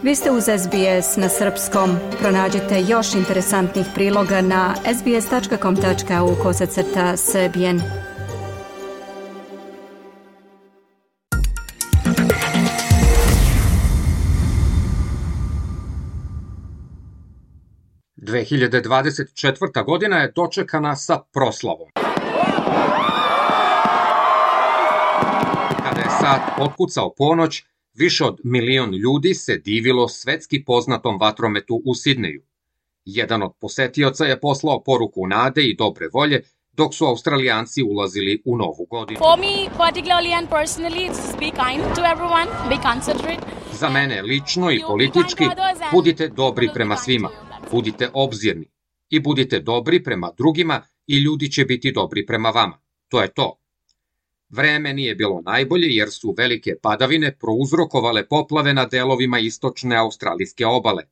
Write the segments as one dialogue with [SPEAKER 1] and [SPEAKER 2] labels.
[SPEAKER 1] Vi ste uz SBS na srpskom. Pronađite još interesantnih priloga na sbs.com.au/srbijen.
[SPEAKER 2] – 2024. godina je dočekana sa proslavom. Kada je sat otkucao ponoć, više od 1 milion ljudi se divilo svetski poznatom vatrometu u Sidneju. Jedan od posetioca je poslao poruku nade i dobre volje dok su Australijanci ulazili u novu godinu.
[SPEAKER 3] For me, particularly and personally, it's be kind to everyone, be considerate.
[SPEAKER 2] Za mene lično i politički, budite dobri prema svima, budite obzirni i budite dobri prema drugima i ljudi će biti dobri prema vama. To je to. Vreme nije bilo najbolje jer su velike padavine prouzrokovale poplave na delovima istočne australijske obale.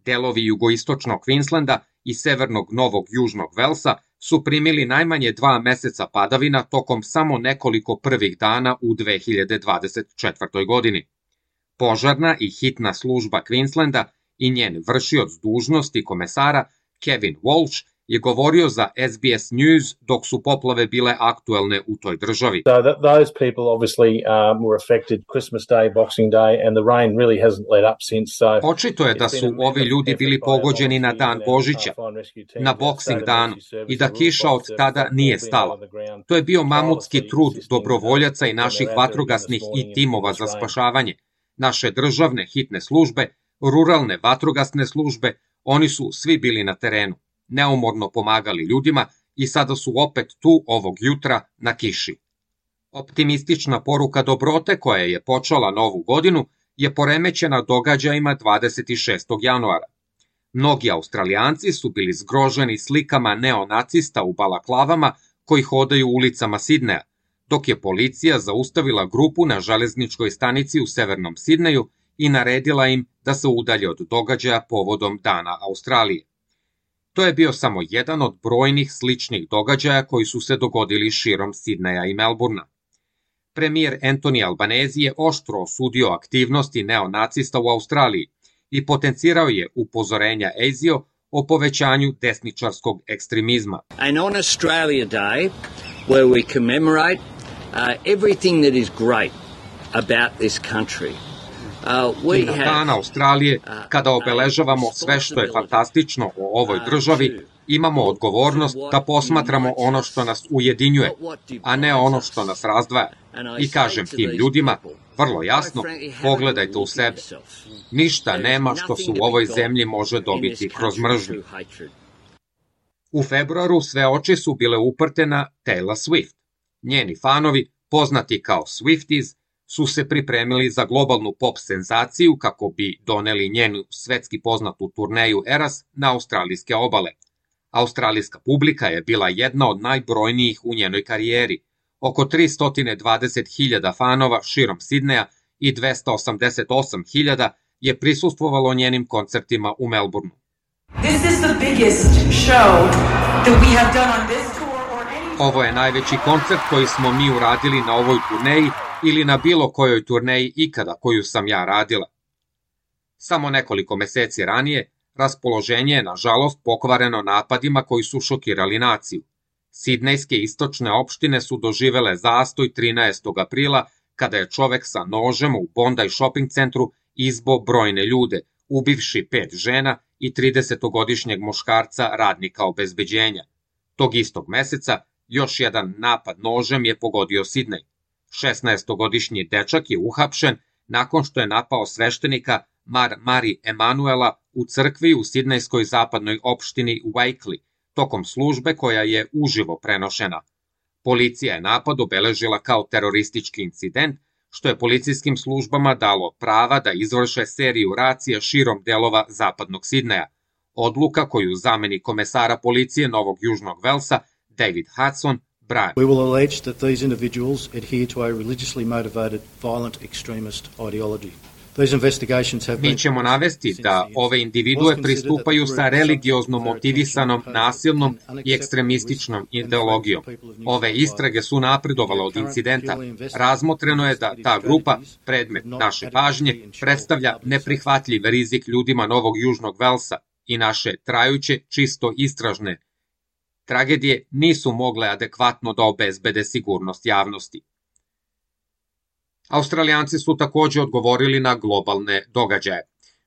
[SPEAKER 2] Delovi jugoistočnog Queenslanda i severnog Novog Južnog Velsa su primili najmanje 2 meseca padavina tokom samo nekoliko prvih dana u 2024. godini. Požarna i hitna služba Queenslanda i njen vršioc dužnosti komesara Kevin Walsh je govorio za SBS News dok su poplave bile aktuelne u toj državi.
[SPEAKER 4] Those people obviously were affected Christmas Day, Boxing Day, and the rain really hasn't let up since.
[SPEAKER 2] Očito je da su ovi ljudi bili pogođeni na dan Božića, na Boxing danu, i da kiša od tada nije stala. To je bio mamutski trud dobrovoljaca i naših vatrogasnih i timova za spašavanje, naše državne hitne službe, ruralne vatrogasne službe, oni su svi bili na terenu, neumorno pomagali ljudima i sada su opet tu ovog jutra na kiši. Optimistična poruka dobrote koja je počela novu godinu je poremećena događajima 26. januara. Mnogi Australijanci su bili zgroženi slikama neonacista u balaklavama koji hodaju ulicama Sidneja, dok je policija zaustavila grupu na železničkoj stanici u severnom Sidneju i naredila im da se udalje od događaja povodom Dana Australije. To je bio samo jedan od brojnih sličnih događaja koji su se dogodili širom Sidneja i Melbourna. Premijer Anthony Albanese je oštro osudio aktivnosti neonacista u Australiji i potencirao je upozorenja ASIO o povećanju desničarskog ekstremizma.
[SPEAKER 5] And on Australia Day, where we commemorate everything that is great about this country.
[SPEAKER 2] I na Dan Australije, kada obeležavamo sve što je fantastično o ovoj državi, imamo odgovornost da posmatramo ono što nas ujedinjuje, a ne ono što nas razdvaja. I kažem tim ljudima, vrlo jasno, pogledajte u sebe. Ništa nema što se u ovoj zemlji može dobiti kroz mržnju. U februaru sve oči su bile uprte na Taylor Swift. Njeni fanovi, poznati kao Swifties, su se pripremili za globalnu pop senzaciju kako bi doneli njenu svetski poznatu turneju Eras na australijske obale. Australijska publika je bila jedna od najbrojnijih u njenoj karijeri. Oko 320.000 fanova širom Sidneja i 288.000 je prisustvovalo njenim koncertima u Melbourneu. Ovo je najveći koncert koji smo mi uradili na ovoj turneji ili na bilo kojoj turneji ikada koju sam ja radila. Samo nekoliko meseci ranije, raspoloženje je nažalost pokvareno napadima koji su šokirali naciju. Sidnejske istočne opštine su doživele zastoj 13. aprila kada je čovek sa nožem u Bondi shopping centru izbo brojne ljude, ubivši 5 žena i 30-godišnjeg muškarca radnika obezbeđenja. Tog istog meseca još jedan napad nožem je pogodio Sidnej. 16-godišnji dečak je uhapšen nakon što je napao sveštenika Mari Emanuela u crkvi u sidnejskoj zapadnoj opštini Wakely, tokom službe koja je uživo prenošena. Policija je napad obeležila kao teroristički incident, što je policijskim službama dalo prava da izvrše seriju racija širom delova zapadnog Sidneja, odluka koju zamenik komesara policije Novog Južnog Velsa David Hudson brani.
[SPEAKER 6] We will allege that these individuals adhere to a religiously motivated violent extremist ideology.
[SPEAKER 2] Mi ćemo navesti da ove individue pristupaju sa religiozno motivisanom, nasilnom i ekstremističnom ideologijom. Ove istrage su napredovale od incidenta. Razmotreno je da ta grupa, predmet naše pažnje, predstavlja neprihvatljiv rizik ljudima Novog Južnog Velsa i naše trajuće, čisto istražne tragedije nisu mogle adekvatno da obezbede sigurnost javnosti. Australijanci su takođe odgovorili na globalne događaje.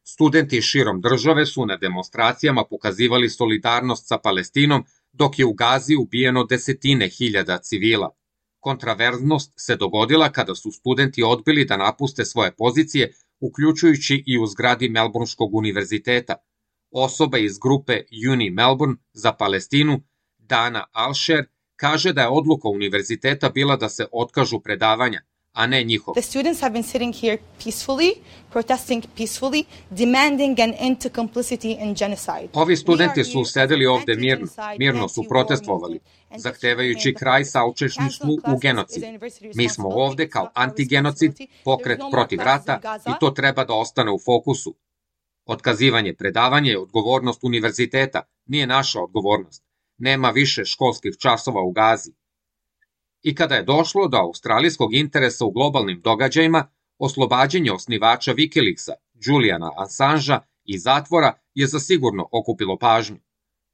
[SPEAKER 2] Studenti širom države su na demonstracijama pokazivali solidarnost sa Palestinom, dok je u Gazi ubijeno desetine hiljada civila. Kontraverznost se dogodila kada su studenti odbili da napuste svoje pozicije, uključujući i u zgradi Melbourneškog univerziteta. Osoba iz grupe Uni Melbourne za Palestinu, Dana Alsher, kaže da je odluka univerziteta bila da se otkažu predavanja, a ne njihov.
[SPEAKER 6] The students have been sitting here peacefully, protesting peacefully, demanding an end to complicity in genocide.
[SPEAKER 2] Ovi studenti su sedeli ovde mirno su protestovali, zahtevajući kraj saučesništvu u genocid. Mi smo ovde kao antigenocid, pokret protiv rata i to treba da ostane u fokusu. Otkazivanje predavanja je odgovornost univerziteta, nije naša odgovornost. Nema više školskih časova u Gazi. I kada je došlo do australijskog interesa u globalnim događajima, oslobađanje osnivača Wikileaksa, Juliana Assangea, iz zatvora je zasigurno okupilo pažnju.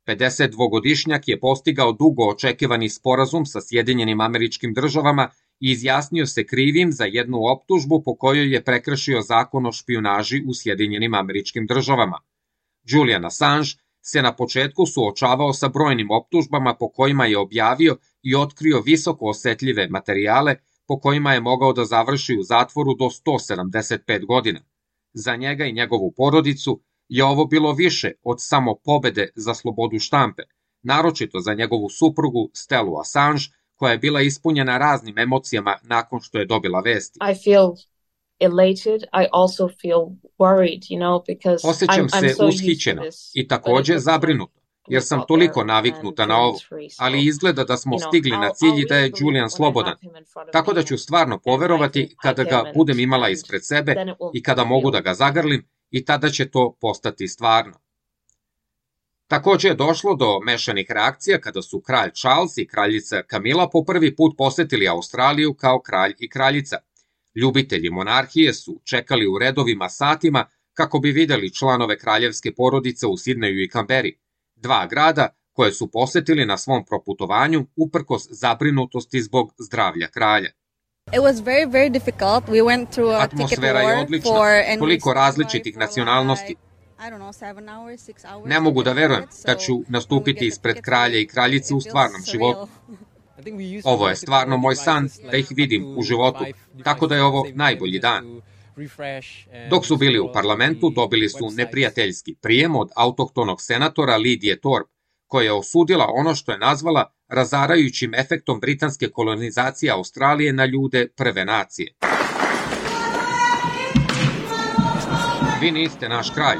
[SPEAKER 2] 52-godišnjak je postigao dugo očekivani sporazum sa Sjedinjenim Američkim Državama i izjasnio se krivim za jednu optužbu po kojoj je prekršio zakon o špijunaži u Sjedinjenim Američkim Državama. Julian Assange se na početku suočavao sa brojnim optužbama po kojima je objavio i otkrio visoko osetljive materijale po kojima je mogao da završi u zatvoru do 175 godina. Za njega i njegovu porodicu je ovo bilo više od samo pobede za slobodu štampe, naročito za njegovu suprugu Stellu Assange, koja je bila ispunjena raznim emocijama nakon što je dobila vesti.
[SPEAKER 7] I feel elated, I also feel worried, because
[SPEAKER 2] Osjećam se ushićeno i takođe zabrinuto, jer sam toliko naviknuta na ovo, ali izgleda da smo stigli na cilj i da je Julian slobodan, tako da ću stvarno poverovati kada ga budem imala ispred sebe i kada mogu da ga zagrlim i tada će to postati stvarno. Takođe je došlo do mešanih reakcija kada su kralj Charles i kraljica Camilla po prvi put posetili Australiju kao kralj i kraljica. Ljubitelji monarhije su čekali u redovima satima kako bi videli članove kraljevske porodice u Sidneju i Kamberi, dva grada koje su posetili na svom proputovanju uprkos zabrinutosti zbog zdravlja kralja. Atmosfera je odlična, toliko različitih nacionalnosti. Ne mogu da verujem da ću nastupiti ispred kralja i kraljice u stvarnom životu. Ovo je stvarno moj san da ih vidim u životu, tako da je ovo najbolji dan. Dok su bili u parlamentu, dobili su neprijateljski prijem od autohtonog senatora Lidije Thorpe, koja je osudila ono što je nazvala razarajućim efektom britanske kolonizacije Australije na ljude prve nacije. Vi niste naš kralj.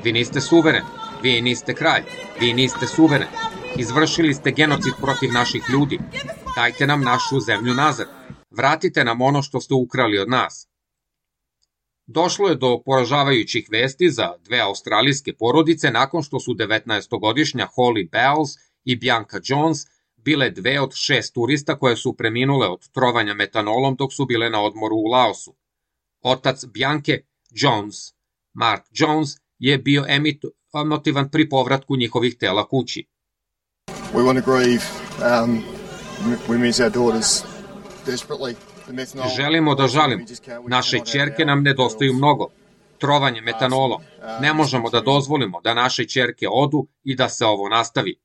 [SPEAKER 2] Vi niste suveren. Vi niste kralj. Vi niste suveren. Izvršili ste genocid protiv naših ljudi. Dajte nam našu zemlju nazad. Vratite nam ono što ste ukrali od nas. Došlo je do poražavajućih vesti za dve australijske porodice nakon što su 19-godišnja Holly Bowles i Bianca Jones bile dve od 6 turista koje su preminule od trovanja metanolom dok su bile na odmoru u Laosu. Otac Bianke, Jones, Mark Jones, je bio emotivan pri povratku njihovih tela kući.
[SPEAKER 8] We want to grieve. We miss our daughters desperately.
[SPEAKER 2] Želimo da žalimo. Naše ćerke nam nedostaju mnogo. Trovanje metanolom. Ne možemo da dozvolimo da naše ćerke odu i da se ovo nastavi.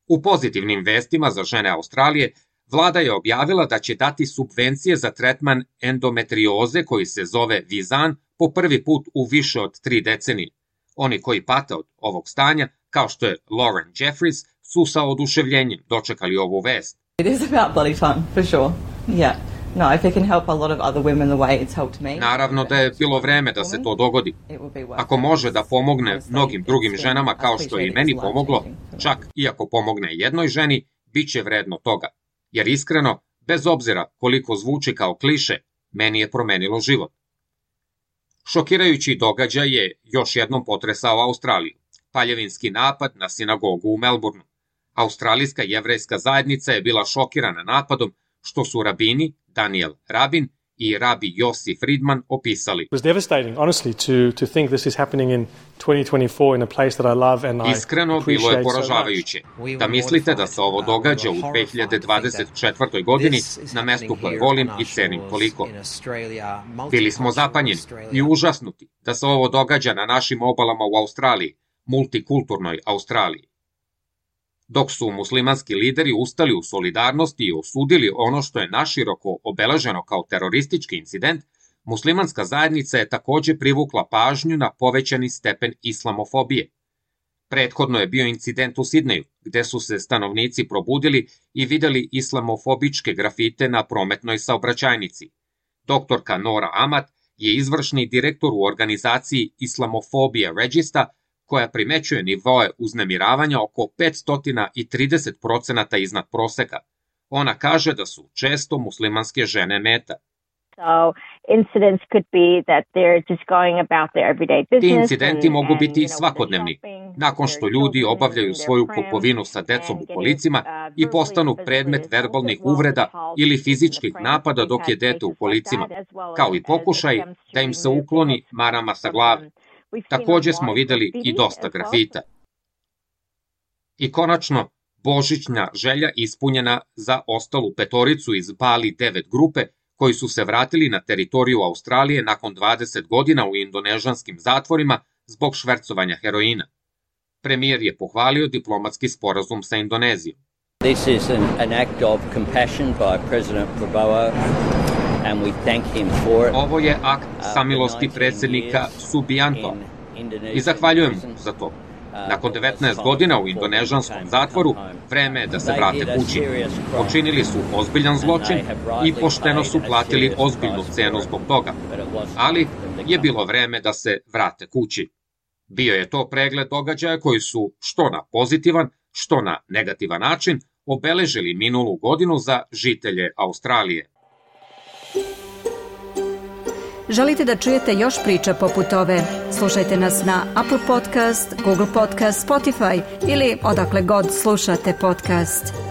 [SPEAKER 2] U pozitivnim vestima za žene Australije, vlada je objavila da će dati subvencije za tretman endometrioze koji se zove Vizan po prvi put u više od 3 decenije. Oni koji pate od ovog stanja, kao što je Lauren Jeffries, su sa oduševljenjem dočekali ovu vest.
[SPEAKER 9] It is about bloody time, for sure. Yeah. No, if it can help a lot of other women the way it's helped me.
[SPEAKER 2] Naravno da je bilo vreme da se to dogodi. Ako može da pomogne mnogim drugim ženama kao što je i meni pomoglo, čak i ako pomogne jednoj ženi, bit će vredno toga. Jer iskreno, bez obzira koliko zvuči kao kliše, meni je promenilo život. Šokirajući događaj je još jednom potresao Australiju. Paljevinski napad na sinagogu u Melbourneu. Australijska jevrejska zajednica je bila šokirana napadom, što su rabini Daniel Rabin i rabi Yossi Friedman opisali. Iskreno, bilo je poražavajuće. Da mislite da se ovo događa u 2024. godini na mestu koje volim i cenim toliko. Bili smo zapanjeni i užasnuti da se ovo događa na našim obalama u Australiji, multikulturnoj Australiji. Dok su muslimanski lideri ustali u solidarnosti i osudili ono što je naširoko obeleženo kao teroristički incident, muslimanska zajednica je takođe privukla pažnju na povećani stepen islamofobije. Prethodno je bio incident u Sidneju, gde su se stanovnici probudili i videli islamofobičke grafite na prometnoj saobraćajnici. Doktorka Nora Amat je izvršni direktor u organizaciji Islamofobia Regista, koja primećuje nivoe uznemiravanja oko 530% iznad proseka. Ona kaže da su često muslimanske žene meta. Ti incidenti mogu biti svakodnevni, nakon što ljudi obavljaju svoju kupovinu sa decom u kolicima i postanu predmet verbalnih uvreda ili fizičkih napada dok je dete u kolicima, kao i pokušaj da im se ukloni marama sa glave. Takođe smo videli i dosta grafita. I konačno, božićna želja ispunjena za ostalu petoricu iz Bali 9 grupe koji su se vratili na teritoriju Australije nakon 20 godina u indonežanskim zatvorima zbog švercovanja heroina. Premijer je pohvalio diplomatski sporazum sa Indonezijom.
[SPEAKER 5] This is an act of compassion by President Prabowo.
[SPEAKER 2] Ovo je akt samilosti predsjednika Subianto i zahvaljujem mu za to. Nakon 19 godina u indonežanskom zatvoru, vreme je da se vrate kući. Počinili su ozbiljan zločin i pošteno su platili ozbiljnu cenu zbog toga, ali je bilo vreme da se vrate kući. Bio je to pregled događaja koji su što na pozitivan, što na negativan način obeležili minulu godinu za žitelje Australije.
[SPEAKER 1] Želite da čujete još priča poput ove? Slušajte nas na Apple Podcast, Google Podcast, Spotify ili odakle god slušate podcast.